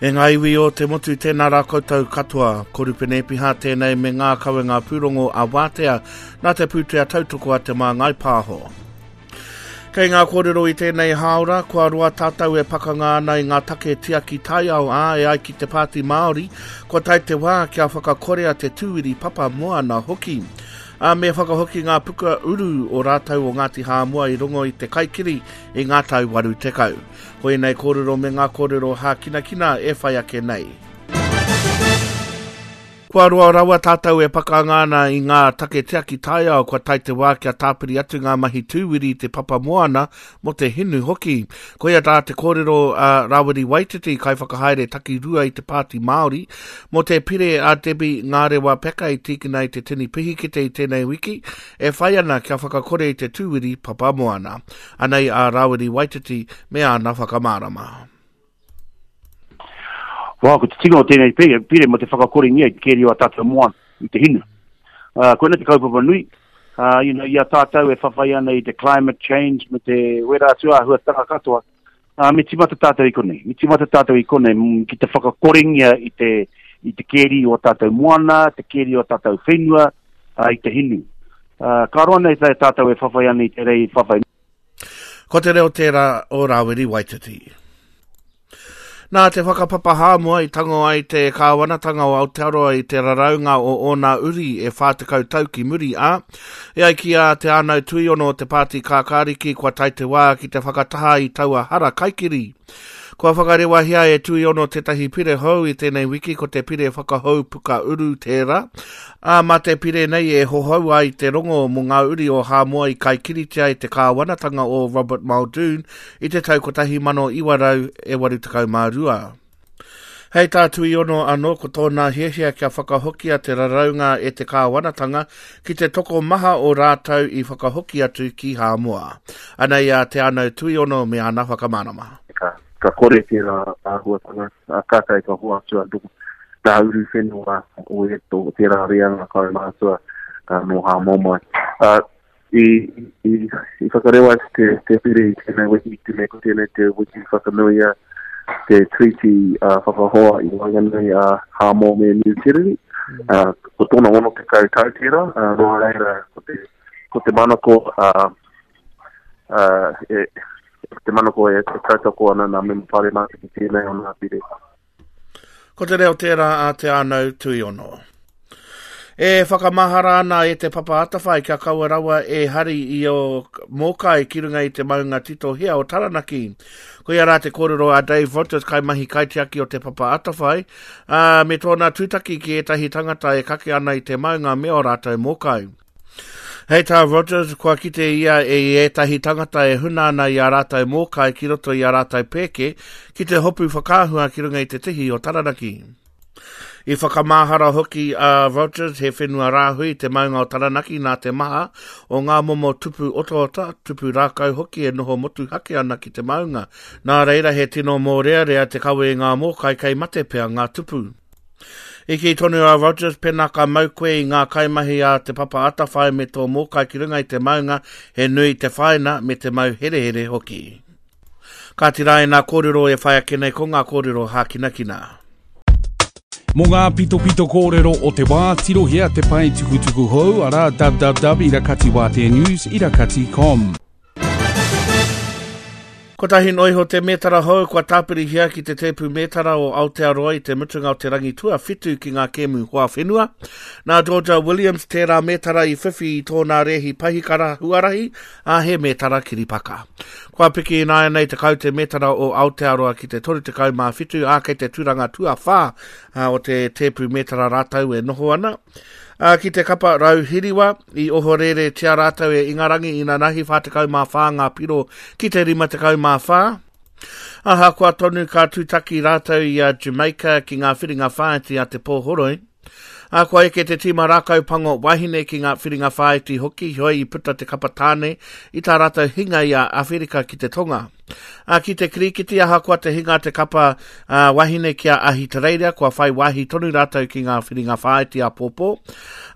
E ngā iwi o te motu, tēnā rā koutou katoa. Ko Rupene Epiha tēnei me ngā kawenga pūrongo a Wātea nā te pūtea tautoko a Te Māngai Pāho. Kei ngā kōrero i tēnei hāora, kua roa tātou e pakanga ana i ngā take tiaki taiao, ā, e ai ki te Pāti Māori, kua tae te wā kia whakakorea te tūwiri papa moana hoki. Ā, me whakahoki ngā puka uru o rātou o Ngāti Hāmoa i rongo i te kaikiri i ngā tau 80. Ko ēnei kōrero me ngā kōrero hākinakina e whai ake nei. Kua roa rawa tātou e pakanga ana i ngā take tiaki taiao kua tae te wā kia tāpiri atu ngā mahi tūwiri i te papa moana mō te hinu hoki. Koia tā te kōrero a Rawiri Waititi, kaiwhakahaere takirua i te Pāti Māori, mō te pire a Debbie Ngarewa Peka i tīkina i te tini pihikete i tēnei wiki, e whai ana kia whakakore i te tūwiri papa moana. Anei a Rawiri Waititi me āna whakamārama. Wā, ko te tinga o tēnei pire, pire mo te whakakorengia i te keri o a tātou moana, i te hinu. Uh, koina te kaupapa nui, uh, you know, i a tātou e whawhai ana i te climate change me te wera atu āhuatanga katoa, uh, me timata tātou i konei. Me timata tātou i konei mm, ki te whakakorengia i te, i te keri o tātou moana, te keri o tātou whenua, uh, i te hinu. Uh, ka roa nei tātou e whawhai ana i te rei whawhai. Ko te reo tērā o Rāwiri Waititi. Nā te whakapapa Hāmoa i tango ai te kāwanatanga o Aotearoa i te raraunga o ōna uri e 40 tau ki muri, ā, e ai ki a Te Ānau Tuiono o te Pāti Kākāriki kua tae te wā ki te whakataha i taua hara kaikiri. Kua whakarewahia e Tuiono tētahi pire hou i tēnei wiki ko te pire whakahou puka uru tērā, ā, mā te pire nei e hohou ai te rongo mō ngā uri o Hāmoa i kaikiritia e te kāwanatanga o Robert Muldoon i te tau 1982. Hei tā Tuiono anō ko tōna hiahia kia whakahokia te raraunga e te kāwanatanga ki te tokomaha o rātou i whakahoki atu ki Hāmoa. Anei a Te Anau Tuiono me ana whakamārama. Ka, ka kore tērā āhuatanga, kātahi ka hoatu anō ngā uruwhenua o e, o tērā reanga kaumātua nō Hāmoa mai. I, i, i whakarewa atu te, te pire i tēnei wiki, te mea ko tēnei te wiki whakanuia te treaty uh, whakahoa i waenganui a uh, Hāmoa me Niu Tireni. Uh, ko tōna 60 tau tērā, uh, nō reira ko te, ko te manako uh, uh, e, te manako e, e tautoko ana nā mema paremata ki tēnei o nā pire. Ko te reo tērā a Te Ānau Tuiono. E whakamahara ana e Te Papa Atawhai kia kaua rawa e hari i ō mōkai ki runga i te maunga titohea o Taranaki. Koia rā te kōrero a Dave Rogers, kaimahi kaitiaki o Te Papa Atawhai, ā, me tōna tūtaki ki ētahi tangata e kake ana i te maunga me ō rātou mōkai. Hei tā Rogers, kua kite ia i ētahi tangata e huna ana i ā rātou mōkai ki roto i ā rātou pēke ki te hopu whakaahua ki runga i te tihi o Taranaki. I whakamahara hoki a Rogers he whenua rāhui te maunga o Taranaki nā te maha o ngā momo tupu otaota, tupu rākau hoki e noho motuhake ana ki te maunga. Nā reira he tino mōrearea te kawe i ngā mōkai kei mate pea ngā tupu. I kī tonu a Rogers, pēnā ka mau koe i ngā kaimahi a Te Papa Atawhai me tō mōkai ki runga i te maunga, he nui te whāina me te mau herehere hoki. Kāti rā ēnā kōrero e whai ake nei ko ngā kōrero hākinakina. Mō ngā pitopito kōrero o te wā, tirohia te pae tukutuku hou, arā www irakatiwāteanews irakati.com. Kotahi noa iho te mētara hou kua tāpirihia ki te tēpu mētara o Aotearoa i te mutunga o te rangi tuawhitu ki ngā kēmu hoa whenua. Nā Georgia Williams tērā mētara i whiwhi i tōna rēhi pahikara huarahi, ā, he mētara kiripaka. Kua piki ināianei te kaute mētara o Aotearoa ki te 37, ā, kei te tūranga tuawhā o te tēpu mētara rātou e noho ana. Ā, ki te kapa Rauhiriwa, i ohoreretia rātou e Ingarangi inanahi 44 ngā piro ki te 54. Ahakoa tonu ka tūtaki rātou i a Jamaica ki ngā whiringa whāiti a te pōhoroi. Ā, kua eke te tīma rākau pango wahine ki ngā whiringa whāiti hoki, heoi i puta te kapa tāne i tā rātou hinga i a Awherika ki te Tonga. Ā, ki te kirikiti, ahakoa te hinga te kapa ā, wahine ki a Ahitereiria, kua whai wāhi tonu rātou ki ngā whiringa whāiti āpōpō.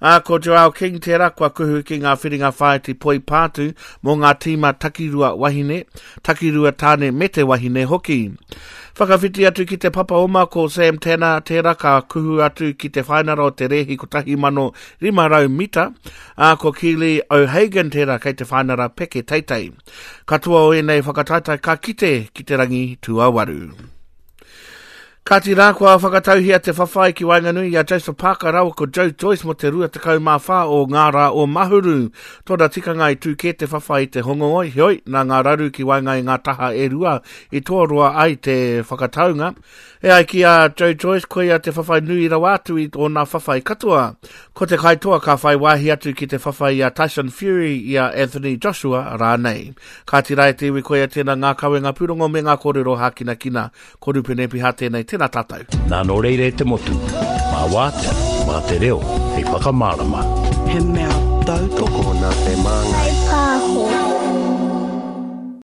Ā, ko Joelle King tērā kua kuhu ki ngā whiringa whāiti poi pātū mō ngā tīma takirua wahine, takirua tāne me te wahine hoki. Whakawhiti atu ki te papa oma ko Sam Tanner tērā ka kuhu atu ki te whainara o te rēhi 1500 mita, ā, ko Keely O'Hagan tērā kei te whainara peke teitei. Katoa o ēnei whakataetae ka kite ki te rangi tuawaru. Kāti rā kua whakatauhia te whawhai ki waenganui i a Joseph Parker rāua ko Joe Joyce mō te 24 o ngā rā o Mahuru. Tōna tikanga i tū kē te whawhai i te Hongongoi, heoi, nā ngā raru ki waenga i ngā taha e rua i toaroa ai te whakataunga. E ai ki a Joe Joyce, koia te whawhai nui rawa atu i ōna whawhai katoa. Ko te kaitoa ka whai wāhi atu ki te whawhai i a Tyson Fury, i a Anthony Joshua rānei. Kāti rā e te iwi koia tēnā ngā kawenga pūrongo me ngā kōrero hākinakina. Ko Rupene Piha tēnei, tēnā tātou. Nā nō reira e te motu, mā wātea, mā te reo hei whakamārama. He mea tautoko. Tokona te māngai. Whai pāho.